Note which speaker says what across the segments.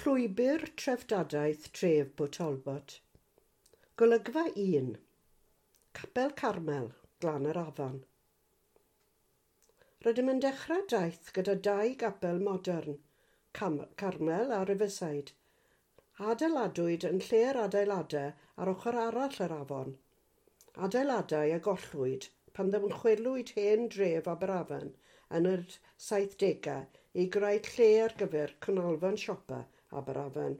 Speaker 1: Llwybr Treftadaeth Tref Port Talbot. Golygfa 1. Capel Carmel, Glan yr Afon. Rydym yn dechrau daith gyda dau gapel modern, Carmel a Riverside. Adeiladwyd yn lle'r adeiladau ar ochr arall yr afon. Adeiladau a gollwyd pan ddymchwelwyd hen dref Aberafan yn yr 70au i greu lle ar gyfer canolfan siopa Aberafan.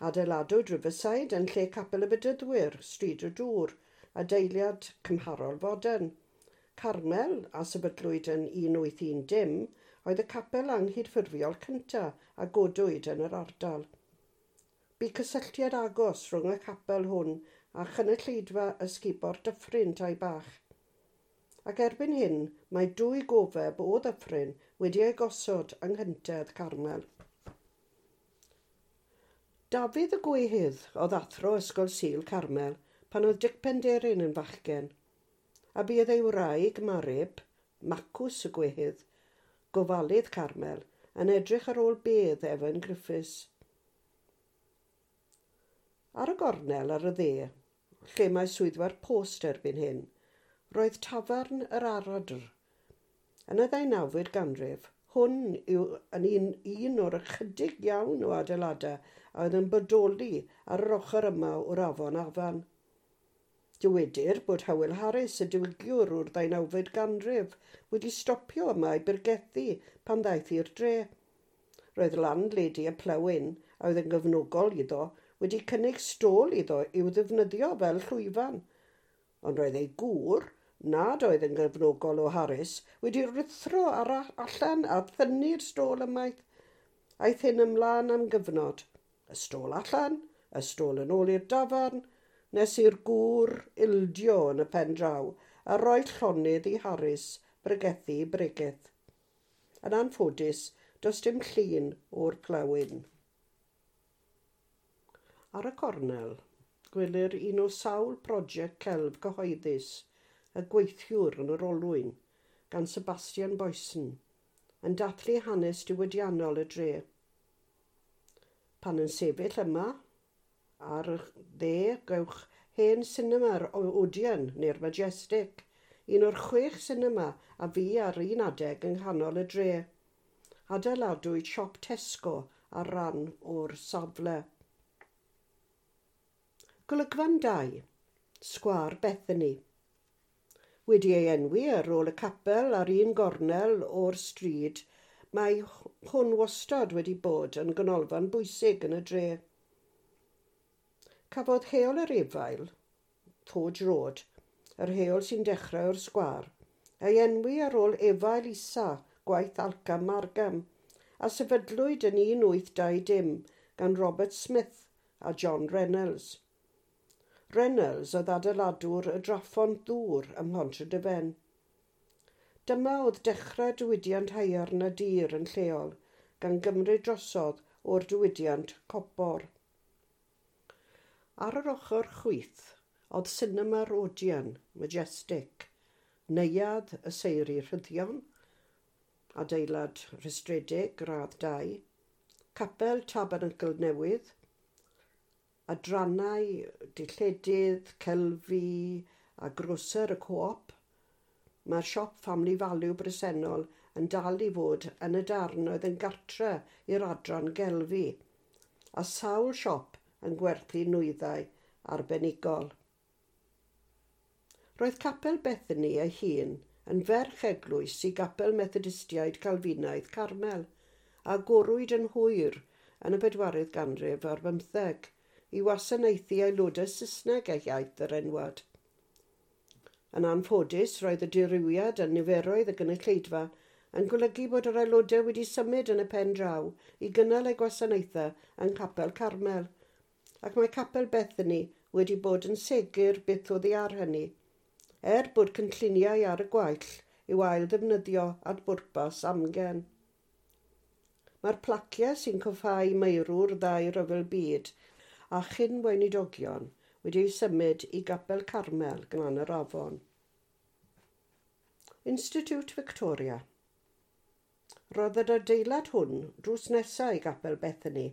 Speaker 1: Adeiladwyd Riverside yn lle Capel y Bedyddwyr, Stryd y Dŵr, adeiliad cymharol fodern. Carmel, a sefydlwyd yn 1810, oedd y capel anghydffurfiol cyntaf a godwyd yn yr ardal. Bu cysylltiad agos rhwng y capel hwn a chynulleidfa ysgubor dyffryn tai bach. Ac erbyn hyn, mae dwy gofeb o ddyffryn wedi eu gosod yng nghyntedd Carmel. Dafydd y Gwehydd oedd athro Ysgol Sul Carmel pan oedd Dic Penderyn yn fachgen, a buodd ei wraig Marib, Macws y Gwehydd, gofalydd Carmel, yn edrych ar ôl bedd Evan Griffiths. Ar y gornel ar y dde, lle mae swyddfa'r post erbyn hyn, roedd tafarn yr Aradr. Yn y ddeunawfed ganrif, hwn yw yn un o'r ychydig iawn o adeiladau a oedd yn bodoli ar yr ochr yma o'r afon Afan. Dywedir bod Howell Harris, y diwygiwr o'r ddeunawfed ganrif, wedi stopio yma i bregethu pan ddaeth i'r dre. Roedd landlady y Plough Inn, a oedd yn gefnogol iddo, wedi cynnig stôl iddo i'w ddefnyddio fel llwyfan. Ond roedd ei gŵr, nad oedd yn gefnogol o Harris, wedi ruthro ar allan a thynnu'r stôl ymaith. Aeth hyn ymlaen am gyfnod. Y stôl allan, y stôl yn ôl i'r dafarn, nes i'r gŵr ildio yn y pen draw a roi llonydd i Harris bregethu bregeth. Yn anffodus, does dim llun o'r Plough Inn. Ar y cornel, gwelir un o sawl prosiect celf cyhoeddus, y gweithiwr yn yr olwyn, gan Sebastian Boyson, yn dathlu hanes diwydiannol y dre. Pan yn sefyll yma, ar y dde, gewch hen sinema'r Odeon neu'r Majestic, un o'r 6 sinema a fu ar un adeg yng nghanol y dre. Adeiladwyd siop Tesco ar ran o'r safle. Golygfan 2, Sgwâr Bethany. Wedi ei enwi ar ôl y capel ar un gornel o'r stryd, mae hwn wastad wedi bod yn ganolfan bwysig yn y dre. Cafodd Heol yr Efail, Forge Road, yr heol sy'n dechrau o'r sgwâr, ei enwi ar ôl Efail Isa, gwaith Alcam Margam, a sefydlwyd yn 1820 gan Robert Smith a John Reynolds. Reynolds oedd adeiladwr y draffon ddŵr ym Mhontrhydyfen. Dyma oedd dechrau diwydiant haearn a dur yn lleol, gan gymryd drosodd o'r diwydiant copor. Ar yr ochr chwith oedd sinema'r Odeon, Majestic, neuadd y Seiri Rhyddion, adeilad rhestredig gradd 2, capel Tabernacl Newydd, adrannau dilledydd, celfi a groser y Co-op. Mae'r siop Family Value bresennol yn dal i fod yn y darn oedd yn gartre i'r adran gelfi, a sawl siop yn gwerthu nwyddau arbenigol. Roedd Capel Bethany ei hun yn ferch eglwys i Gapel Methodistiaid Calfinaidd Carmel, a agorwyd yn hwyr yn y 4th ganrif ar bymtheg i wasanaethu aelodau Saesneg eu hiaith yr enwad. Yn anffodus, roedd y dirywiad yn niferoedd y gynulleidfa yn golygu bod yr aelodau wedi symud yn y pen draw i gynnal eu gwasanaethau yng Nghapel Carmel, ac mae Capel Bethany wedi bod yn segur byth oddi ar hynny, er bod cynlluniau ar y gwaill i'w ail ddefnyddio at bwrpas amgen. Mae'r placiau sy'n coffáu meirwr ddau ryfel byd a chyn weinidogion wedi eu symud i Gapel Carmel gan yr afon. Institute Victoria. Roedd yr adeilad hwn drws nesaf i Gapel Bethany,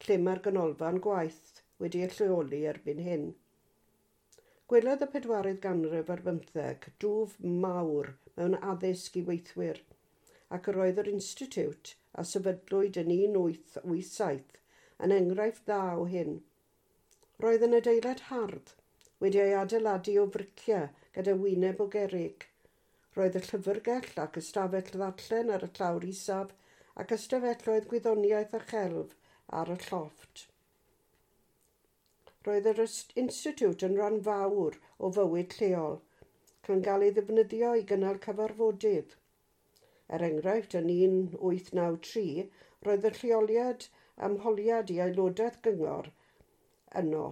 Speaker 1: lle mae'r ganolfan gwaith wedi ei lleoli erbyn hyn. Gwelodd y pedwaredd ganrif ar bymtheg dwf mawr mewn addysg i weithwyr, ac yr oedd yr Institute a sefydlwyd yn 1887 yn enghraifft dda o hyn. Roedd yn adeilad hardd, wedi ei adeiladu o friciau gyda wyneb o gerrig. Roedd y llyfrgell ac ystafell ddarllen ar y llawr isaf ac ystafelloedd gwyddoniaeth a chelf ar y llofft. Roedd yr Institute yn rhan fawr o fywyd lleol, gan gael ei ddefnyddio i gynnal cyfarfodydd. Er enghraifft, yn 1893, roedd y lleoliad ymholiad i aelodaeth gyngor yno.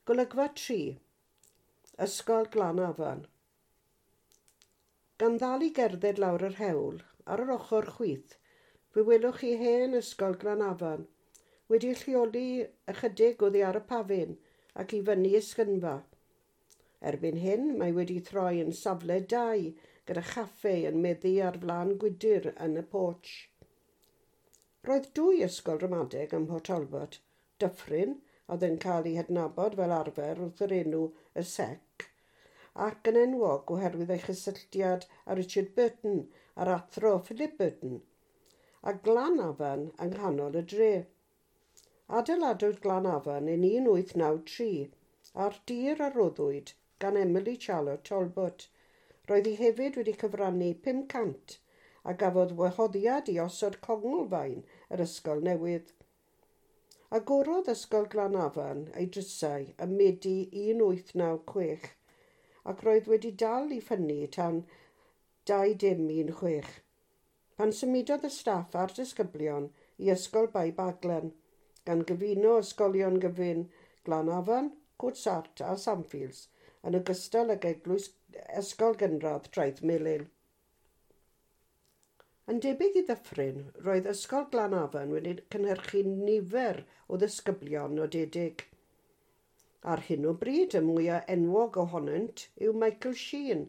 Speaker 1: Golygfa 3. Ysgol Glanafan. Gan ddal i gerdded lawr yr hewl, ar yr ochr chwith, fe welwch chi hen Ysgol Glanafan, wedi lleoli ychydig oddi ar y pafin ac i fyny esgynfa. Erbyn hyn, mae wedi troi yn safle dau gyda chaffe yn meddu ar flan gwydr yn y porch. Roedd dwy ysgol ramadeg ym Mhort Talbot, Dyffryn, oedd yn cael ei hadnabod fel arfer wrth yr enw y Sec, ac yn enwog oherwydd ei chysylltiad â Richard Burton a'r athro Philip Burton, a Glanafan yng nghanol y dre. Adeiladwyd Glanafan yn 1893 a'r dir a roddwyd gan Emily Charlotte Talbot. Roedd hi hefyd wedi cyfrannu 500 a gafodd wahoddiad i osod conglfaen yr ysgol newydd. Agorodd Ysgol Glanafan ei drysau ym Medi 1896 ac roedd wedi dal i ffynnu tan 2016, pan symudodd y staff a'r disgyblion i Ysgol Bae Baglan, gan gyfuno ysgolion gyfun Glanafan, Cwrt a Samfields, yn ogystal ag eglwys Ysgol Gynradd Traeth Melyn. Yn debyg i Ddyffryn, roedd Ysgol Glanafan wedi cynhyrchu nifer o ddisgyblion nodedig. Ar hyn o bryd, y mwyaf enwog ohonynt yw Michael Sheen,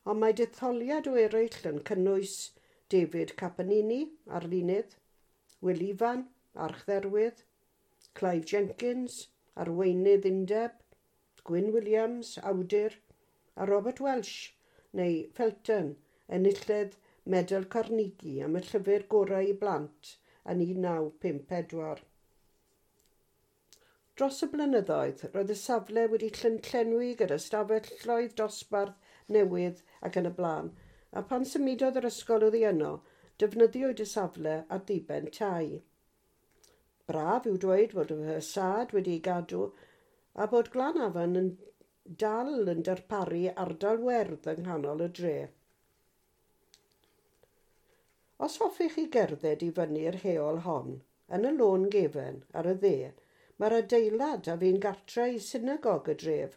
Speaker 1: ond mae detholiad o eraill yn cynnwys David Capanini, arlunydd, Will Ifan, archdderwydd, Clive Jenkins, arweinydd undeb, Gwyn Williams, awdur, a Robert Welsh, neu Felton, enillydd Medal Carnegie am y llyfr gorau i blant yn 1954. Dros y blynyddoedd, roedd y safle wedi llenwi gyda stafelloedd dosbarth newydd ac yn y blaen, a pan symudodd yr ysgol oddi yno, defnyddiwyd y safle at ddiben tai. Braf yw dweud fod y ffasâd wedi'i gadw a bod Glanafan yn dal yn darparu ardal werdd yng nghanol y dre. Os hoffech chi gerdded i fyny'r heol hon, yn y lôn gefen ar y dde, mae'r adeilad a fu'n gartre i synagog y dref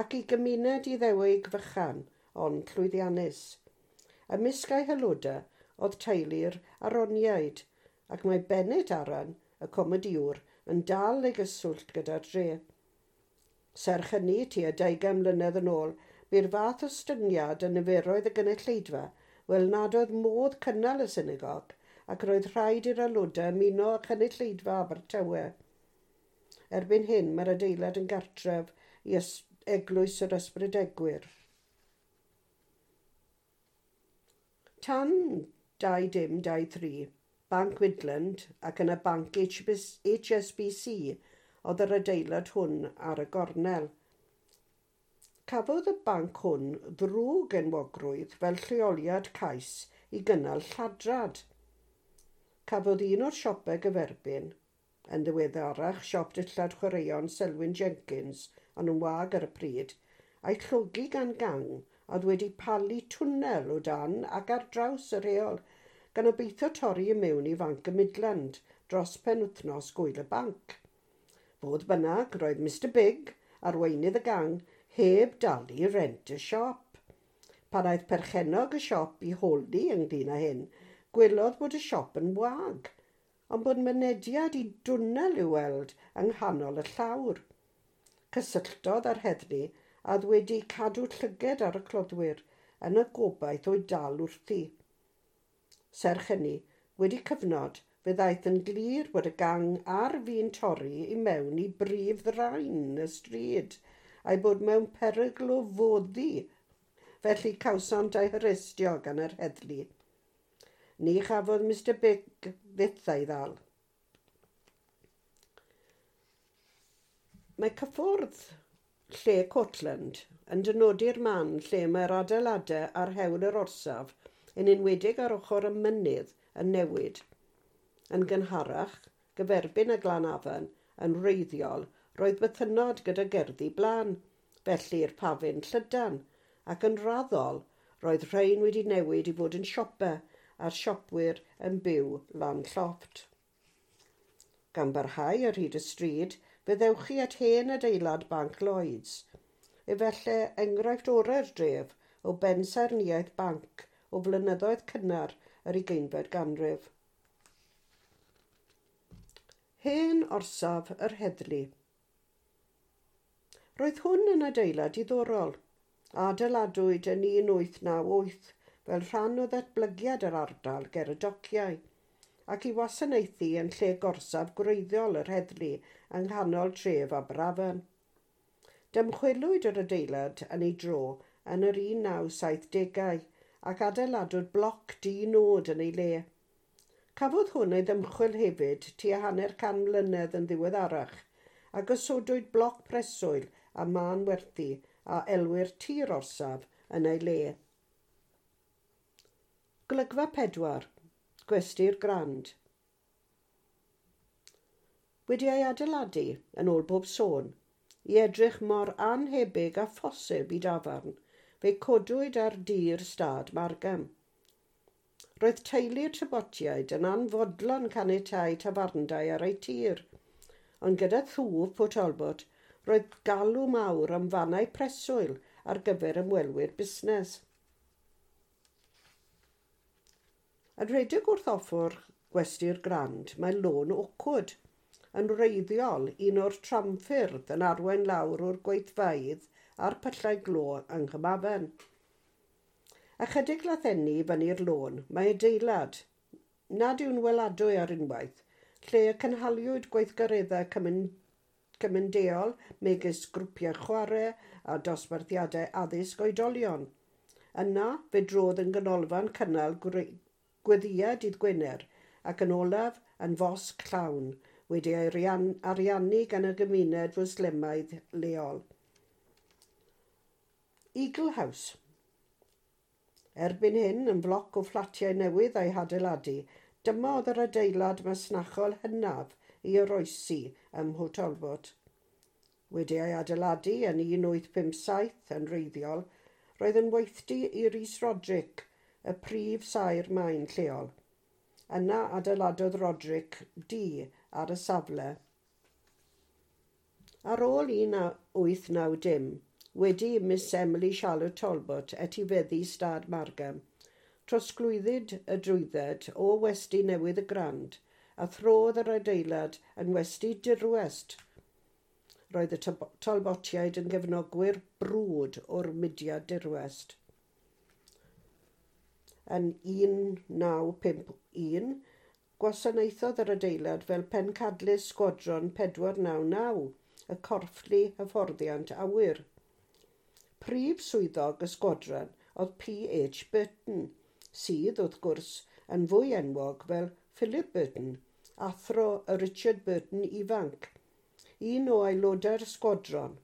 Speaker 1: ac i gymuned Iddewig fychan, ond llwyddiannus. Ymysg ei haelodau oedd teulu'r Aroniaid, ac mae Bennett Aran, y comediwr, yn dal ei gyswllt gyda'r dre. Serch hynny, tua 20 mlynedd yn ôl, bu'r fath ostyngiad yn niferoedd y gynulleidfa wel nad oedd modd cynnal y synagog ac roedd rhaid i'r aelodau ymuno â chynulleidfa Abertawe. Erbyn hyn, mae'r adeilad yn gartref i Eglwys yr Ysbrydegwyr. Tan 2023, Banc Midland ac yna Banc HSBC oedd yr adeilad hwn ar y gornel. Cafodd y banc hwn ddrwg enwogrwydd fel lleoliad cais i gynnal lladrad. Cafodd un o'r siopau gyferbyn, yn ddiweddarach siop dillad chwaraeon Selwyn Jenkins, ond yn wag ar y pryd, a'i llogi gan gang oedd wedi palu twnnel o dan ac ar draws yr heol, gan obeithio torri i mewn i Fanc y Midland dros penwythnos gwyl y banc. Fodd bynnag, roedd Mr Big, arweinydd y gang, heb dalu rent y siop. Pan aeth perchennog y siop i holi ynglyn â hyn, gwelodd bod y siop yn wag, ond bod mynediad i dwnnel i'w weld yng nghanol y llawr. Cysylltodd â'r heddlu a oedd wedi cadw llyged ar y cloddwyr yn y gobaith o'i dal wrthi. Serch hynny, wedi cyfnod, fe ddaeth yn glir bod y gang ar fin torri i mewn i brif ddraen y stryd a'i bod mewn perygl o foddi, felly cawsant eu harestio gan yr heddlu. Ni chafodd Mr Big fyth ei ddal. Mae cyffwrdd lle Cortland yn dynodi'r man lle mae'r adeiladau ar hewl yr orsaf, yn enwedig ar ochr y mynydd, yn newid. Yn gynharach, gyferbyn y Glan Afan, yn wreiddiol, roedd bythynnod gyda gerddi blaen, felly'r pafin llydan, ac yn raddol roedd rhain wedi newid i fod yn siopau a'r siopwyr yn byw lan llofft. Gan barhau ar hyd y stryd, fe ddewch chi at hen adeilad Banc Lloyds, efallai enghraifft orau'r dref o bensaernïaeth banc o flynyddoedd cynnar yr 20fed ganrif. Hen orsaf yr heddlu. Roedd hwn yn adeilad diddorol, a adeiladwyd yn 1898 fel rhan o ddatblygiad yr ardal ger y dociau, ac i wasanaethu yn lle gorsaf gwreiddiol yr heddlu yng nghanol tref Aberafan. Dymchwelwyd yr adeilad yn ei dro yn yr 1970au ac adeiladwyd bloc di-nod yn ei le. Cafodd hwn ei ddymchwel hefyd tua 50 mlynedd yn ddiweddarach a gosodwyd bloc preswyl a mân werthu a elwir tir orsaf yn ei le. Golygfa 4. Gwesty'r Grand. Wedi ei adeiladu, yn ôl bob sôn, i edrych mor annhebyg â phosib i dafarn, fe codwyd ar dir stad Margam. Roedd teulu'r Talbotiaid yn anfodlon caniatáu tafarndai ar eu tir, ond gyda thwf Port Talbot, roedd galw mawr am fannau preswyl ar gyfer ymwelwyr busnes. Yn rhedeg wrth ochr Gwesty'r Grand mae Lôn Oakwood, yn wreiddiol un o'r tramffyrdd yn arwain lawr o'r gweithfeydd a'r pyllau glo yng Nghymhafen. Ychydig lathenni fyny'r lôn mae adeilad, nad yw'n weladwy ar unwaith, lle y cynhaliwyd gweithgareddau cymunedol megis grwpiau chwarae a dosbarthiadau addysg oedolion. Yna fe drodd yn ganolfan cynnal gweddïau dydd Gwener ac yn olaf yn fosg llawn wedi ei ariannu gan y gymuned Fwslemaidd leol. Eagle House. Erbyn hyn, yn floc o fflatiau newydd a'i hadeiladu, dyma oedd yr adeilad masnachol hynaf i oroesi ym Mhort Talbot. Wedi ei adeiladu yn 1857 yn wreiddiol, roedd yn weithdy i Rhys Roderick, y prif saer maen lleol. Yna adeiladodd Roderick dŷ ar y safle. Ar ôl 1890, wedi i Miss Emily Charlotte Talbot etifeddu stad Margam, trosglwyddid y drwydded o westy newydd y Grand a throdd yr adeilad yn westy dirwest. Roedd y Talbotiaid yn gefnogwyr brwd o'r mudiad dirwest. Yn 1951, gwasanaethodd yr adeilad fel pencadlys Sgwadron 499, y corfflu hyfforddiant awyr. Prif swyddog y sgwadron oedd P.H. Burton, sydd, wrth gwrs, yn fwy enwog fel Philip Burton, athro y Richard Burton ifanc, un o aelodau'r sgwadron.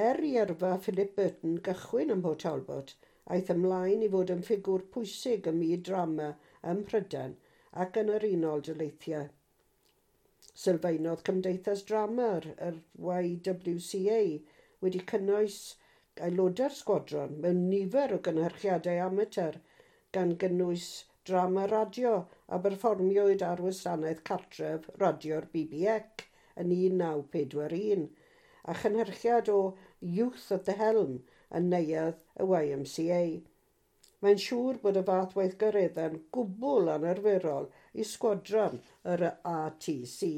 Speaker 1: Er i yrfa Philip Burton gychwyn ym Mhort Talbot, aeth ymlaen i fod yn ffigwr pwysig ym myd drama ym Mhrydain ac yn yr Unol Daleithiau. Sylfaenodd Cymdeithas Drama yr YWCA wedi cynnwys aelodau'r sgwadron mewn nifer o gynhyrchiadau amatur gan gynnwys drama radio a berfformiwyd ar wasanaeth cartref radio'r BBC yn 1941 a chynhyrchiad o Youth at the Helm yn neuadd y YMCA. Mae'n siŵr bod y fath weithgareddau'n gwbl anarferol i sgwadron yr ATC.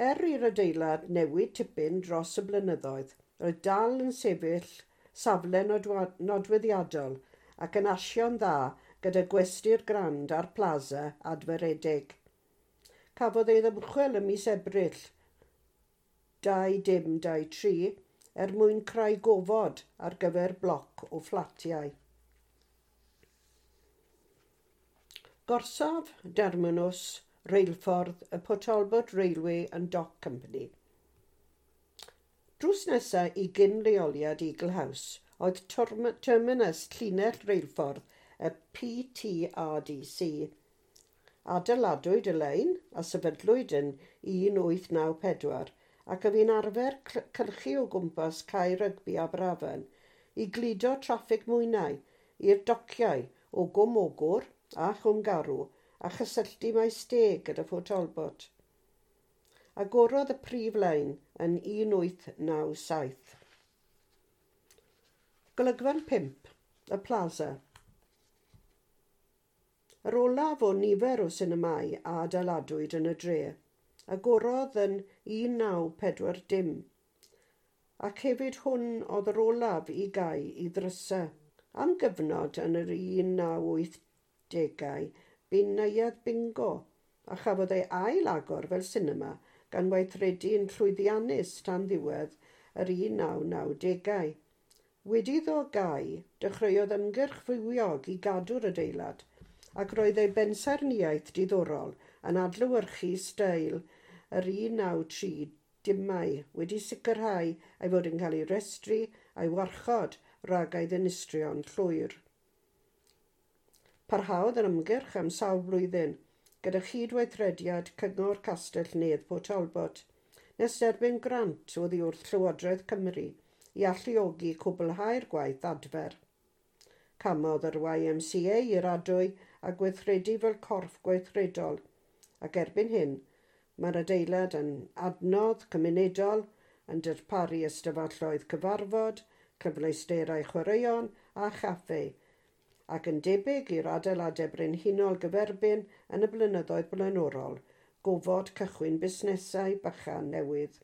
Speaker 1: Er i'r adeilad newid tipyn dros y blynyddoedd, roedd dal yn sefyll safle nodweddiadol ac yn asio'n dda gyda gwesty'r Grand a'r Plaza adferedig. Cafodd ei ddymchwel ym mis Ebrill 2023 er mwyn creu gofod ar gyfer bloc o fflatiau. Gorsaf Derminws Reilffordd y Port Talbot Railway and Dock Company. Drws nesaf i gyn-leoliad Eagle House oedd terminus llinell reilffordd y PTRDC. Adeiladwyd y lein a sefydlwyd yn 1894 ac oedd hi'n arfer cylchu o gwmpas cae rygbi Aberafan i gludo traffig mwynau i'r dociau o Gwm Ogwr a Chwm Garw a chysylltu Maesteg gyda Phort Talbot. Agorodd y prif lein yn 1897. Golygfan 5, y Plaza. Yr olaf o nifer o sinemâu a adeiladwyd yn y dre, agorodd yn 1940, ac hefyd hwn oedd yr olaf i gau i ddrysau. Am gyfnod yn yr 1980au, bu'n neuadd bingo a chafodd ei ail agor fel sinema gan weithredu'n llwyddiannus tan ddiwedd yr 1990au. Wedi iddo gau, dechreuodd ymgyrch fywiog i gadw'r adeilad ac roedd ei bensaernïaeth diddorol yn adlewyrchu steil yr 1930au wedi sicrhau ei fod yn cael ei restru a'i warchod rhag ei ddinistrio'n llwyr. Parhaodd yr ymgyrch am sawl blwyddyn gyda chydweithrediad Cyngor Castell Nedd Port Talbot, nes derbyn grant oddi wrth Llywodraeth Cymru i alluogi cwblhau'r gwaith adfer. Camodd yr YMCA i'r adwy a gweithredu fel corff gweithredol, ac erbyn hyn mae'r adeilad yn adnodd cymunedol, yn darparu ystafelloedd cyfarfod, cyfleusterau chwaraeon a chaffe, ac yn debyg i'r adeiladau brenhinol gyferbyn yn y blynyddoedd blaenorol, gofod cychwyn busnesau bychan newydd.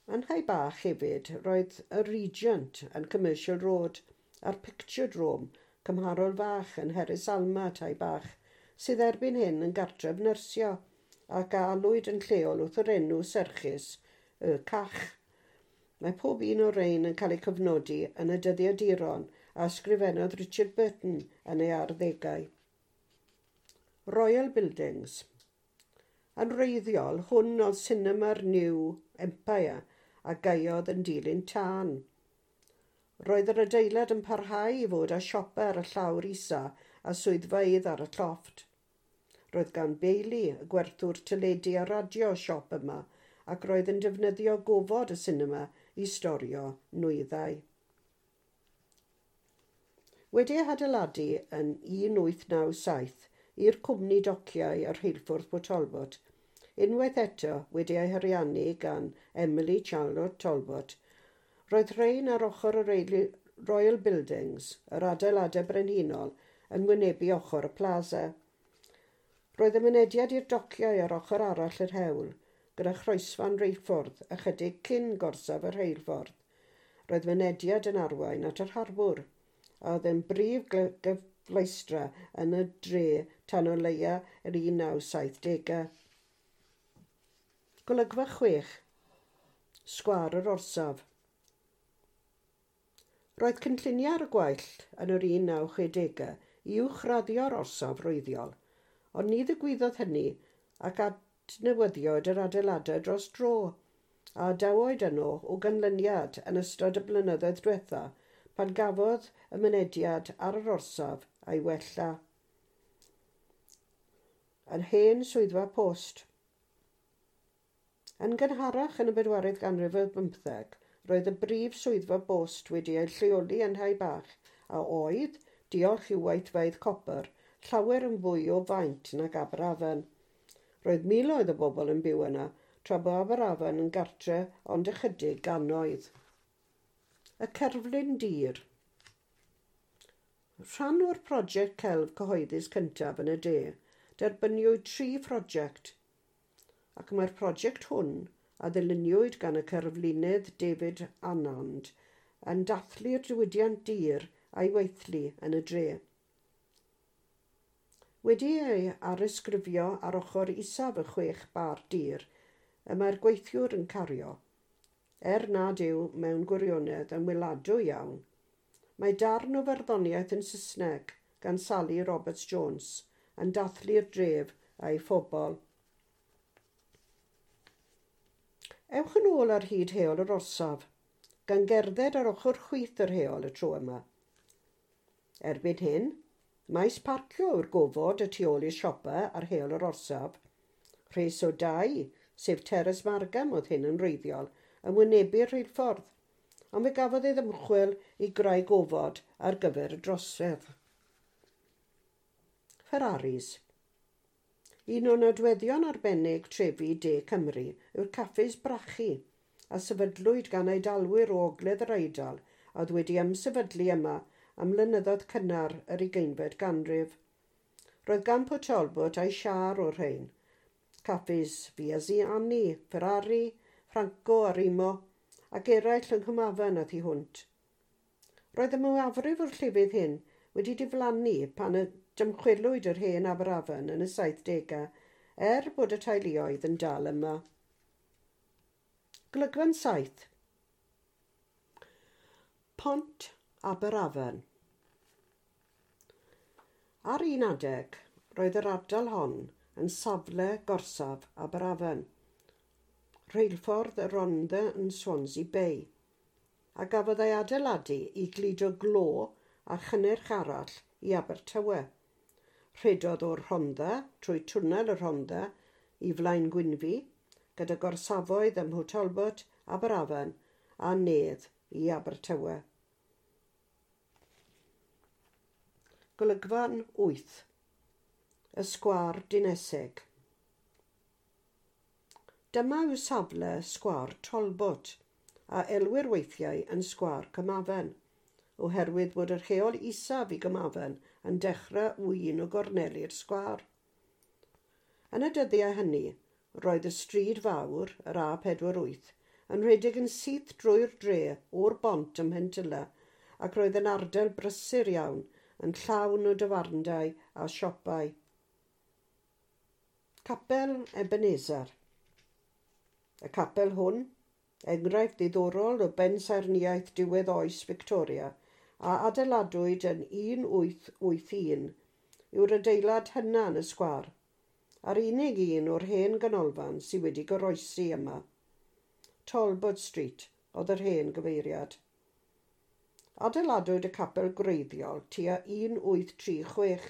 Speaker 1: Yn Nhai Bach hefyd roedd y Regent yn Commercial Road a'r Picture Drome cymharol fach yn Heris Alma Tai Bach, sydd erbyn hyn yn gartref nyrsio ac a alwyd yn lleol wrth yr enw serchus y Cach. Mae pob un o'r rhain yn cael eu cofnodi yn y dyddiaduron a ysgrifennodd Richard Burton yn ei arddegau. Royal Buildings. Yn wreiddiol, hwn oedd sinema'r New Empire a gaeodd yn dilyn tân. Roedd yr adeilad yn parhau i fod â siopa ar y llawr isa a swyddfeydd ar y llofft. Roedd gan Bailey, y gwerthwr teledu a radio siop yma, ac roedd yn defnyddio gofod y sinema i storio nwyddau. Wedi ei hadeiladu yn 1897 i'r cwmni dociau ar rheilffordd Port Talbot, unwaith eto wedi ei hariannu gan Emily Charlotte Talbot, roedd rhain ar ochr y Royal Buildings, yr adeiladau brenhinol, yn wynebu ochr y plaza. Roedd y mynediad i'r dociau ar ochr arall yr hewl, gyda chroesfan reilffordd ychydig cyn gorsaf y rheilffordd. Roedd mynediad yn arwain at yr harbwr, a oedd yn brif gyfleustra yn y dre tan o leia yr 1970au. Golygfa 6. Sgwâr yr orsaf. Roedd cynlluniau ar y gwaill yn yr 1960au i uwchraddio'r orsaf wreiddiol, ond ni ddigwyddodd hynny ac adnewyddiwyd yr adeiladau dros dro, a adawyd yno o ganlyniad yn ystod y blynyddoedd diwetha pan gafodd y mynediad ar yr orsaf a'i wella. Yn hen swyddfa post. Yn gynharach yn y bedwaredd ganrif ar bymtheg, roedd y brif swyddfa bost wedi ei lleoli yn Nhai Bach a oedd, diolch i'w weithfeydd copr, llawer yn fwy o faint nag Aberafan. Roedd miloedd o bobl yn byw yna, tra bo Aberafan yn gartre ond ychydig gannoedd. Y cerflun dir. Rhan o'r prosiect celf cyhoeddus cyntaf yn y de, derbyniwyd 3 phrosiect, ac mae'r prosiect hwn, a ddyluniwyd gan y cerflunydd David Annand, yn dathlu'r diwydiant dur a'i weithlu yn y dre. Wedi ei arysgrifio ar ochr isaf y 6 bar dur y mae'r gweithiwr yn cario, er nad yw mewn gwirionedd yn weladwy iawn. Mae darn o farddoniaeth yn Saesneg gan Sally Roberts-Jones yn dathlu'r dref a'i phobl. Ewch yn ôl ar hyd heol yr orsaf, gan gerdded ar ochr chwith yr heol y tro yma. Erbyn hyn, maes parcio yw'r gofod y tu ôl i'r siopa ar heol yr orsaf. Rhes o dai, sef Teres Margam oedd hyn yn wreiddiol, yn wynebu'r rheilffordd, ond fe gafodd ei ddymchwel i greu gofod ar gyfer y drosedd. Ferraris. Un o nodweddion arbennig trefi De Cymru yw'r caffis brachu, a sefydlwyd gan Eidalwyr o Ogledd yr Eidal a oedd wedi ymsefydlu yma am flynyddoedd cynnar yr 20fed ganrif. Roedd gan Port Talbot a'i siâr o'r rhain. Caffis Viaziani, Ferrari, Franco a Rimo, ac eraill yng Nghymafan a thu hwnt. Roedd y mwyafrif o'r llefydd hyn wedi diflannu pan y dymchwelwyd yr hen Aberafan yn y 70au, er bod y teuluoedd yn dal yma. Golygfan 7. Pont Aberafan. Ar un adeg, roedd yr ardal hon yn safle gorsaf Aberafan, rheilffordd y Rhondda yn Swansea Bay, a gafodd ei adeiladu i gludo glo a chynnyrch arall i Abertawe. Rhedodd o'r Rhondda trwy twnnel y Rhondda i Flaen Gwynfi, gyda gorsafoedd ym Mhort Talbot, Aberafan a Nedd i Abertawe. Golygfan 8. Y Sgwâr Dinesig. Dyma yw safle Sgwâr Talbot, a elwir weithiau yn Sgwâr Cymafan, oherwydd bod yr heol isaf i Gymafan yn dechrau o un o gorneli'r sgwâr. Yn y dyddiau hynny, roedd y stryd fawr, yr A48, yn rhedeg yn syth drwy'r dre o'r bont ym Mhentyla, ac roedd yn ardal brysur iawn, yn llawn o dafarndai a siopau. Capel Ebenezer. Y capel hwn, enghraifft ddiddorol o bensaernïaeth diwedd oes Victoria, a adeiladwyd yn 1881, yw'r adeilad hynna yn y sgwâr, a'r unig un o'r hen ganolfan sydd wedi goroesi yma. Talbot Street oedd yr hen gyfeiriad. Adeiladwyd y capel gwreiddiol tua 1836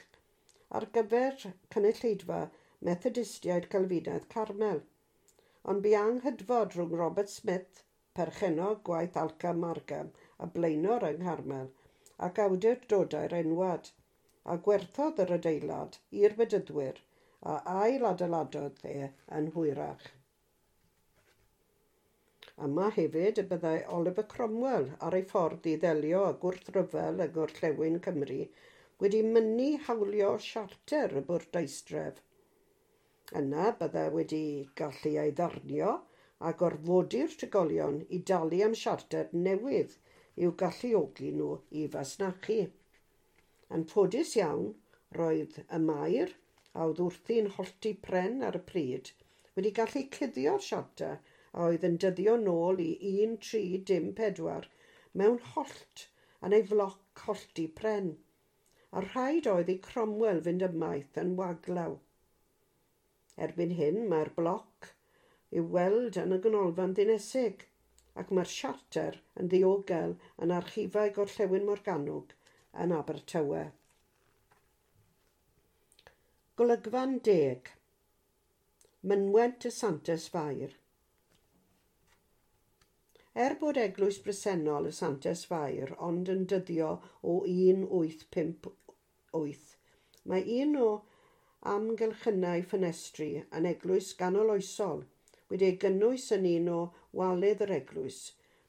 Speaker 1: ar gyfer cynulleidfa Methodistiaid Calfinaidd Carmel, ond bu anghydfod rhwng Robert Smith, perchennog gwaith Alca Margam a blaenor yng Ngharmel, ac awdurdodau'r enwad, a gwerthodd yr adeilad i'r Bedyddwyr a ail-adeiladodd e yn hwyrach. Yma hefyd y byddai Oliver Cromwell ar ei ffordd i ddelio â gwrthryfel yng Ngorllewin Cymru wedi mynnu hawlio siarter y bwrdeistref. Yna byddai wedi gallu ei ddarnio a gorfodi'r trigolion i dalu am siarter newydd i'w galluogi nhw i fasnachu. Yn ffodus iawn, roedd y maer, a oedd wrthi'n hollti pren ar y pryd, wedi gallu cuddio'r siarter a oedd yn dyddio nôl i 1304 mewn hollt yn ei floc hollti pren, a rhaid oedd i Cromwell fynd ymaith yn waglaw. Erbyn hyn mae'r bloc i'w weld yn y ganolfan ddinesig, ac mae'r siarter yn ddiogel yn archifau Gorllewin Morgannwg yn Abertawe. Golygfan 10. Mynwent y Santes Fair. Er bod eglwys bresennol y Santes Fair ond yn dyddio o 1858, mae un o amgylchynau ffenestri yn eglwys ganoloesol wedi ei gynnwys yn un o walydd yr eglwys,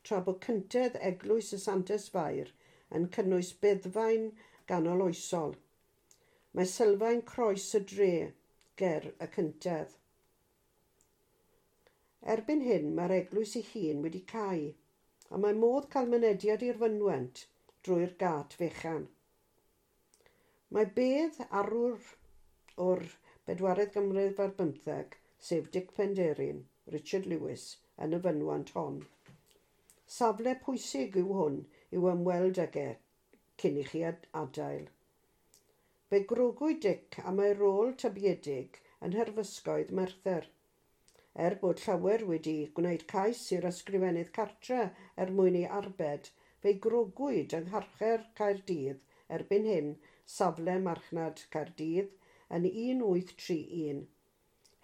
Speaker 1: tra bod cyntedd eglwys y Santes Fair yn cynnwys beddfaen ganoloesol. Mae sylfaen croes y dre ger y cyntedd. Erbyn hyn mae'r eglwys ei hun wedi cau, A mae modd cael mynediad i'r fynwent drwy'r gât fechan. Mae bedd arwr o'r bedwaredd ganrif ar bymtheg, sef Dic Penderyn, Richard Lewis, yn y fynwent hon. Safle pwysig yw hwn i'w ymweld ag e cyn i chi adael. Fe grogwyd Dic am ei rôl tybiedig yn nherfysgoedd Merthyr. Er bod llawer wedi gwneud cais i'r ysgrifennydd cartre er mwyn ei arbed, fe'i grogwyd yng Ngharchar Caerdydd, erbyn hyn safle marchnad Caerdydd, yn 1831.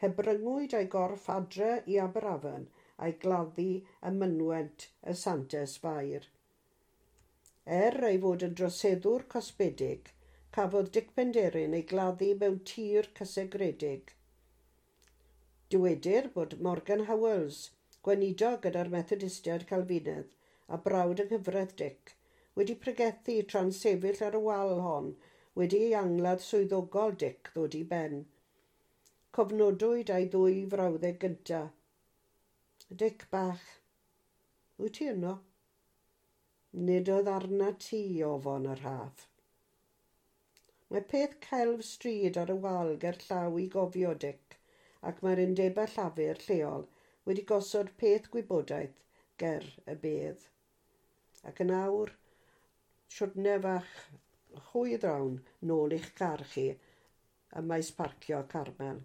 Speaker 1: Hebryngwyd ei gorff adre i Aberafan a'i gladdu ym mynwent y Santes Fair. Er ei fod yn droseddwr cosbedig, cafodd Dic Penderyn ei gladdu mewn tir cysegredig. Dywedir bod Morgan Howells, gweinidog gyda'r Methodistiaid Calfinaidd a brawd yng nghyfraith Dic, wedi pregethu tra'n sefyll ar y wal hon wedi ei angladd swyddogol Dic ddod i ben. Cofnodwyd ei ddwy frawddeg gyntaf. "Dic bach, wyt ti yno? Nid oedd arna ti ofon y rhaff." Mae peth celf stryd ar y wal ger llaw i gofio Dic, ac mae'r undebau llafur lleol wedi gosod peth gwybodaeth ger y bedd. Ac yn awr, siwrne fach hwyr iawn nôl i'ch car chi ym maes parcio Carmel.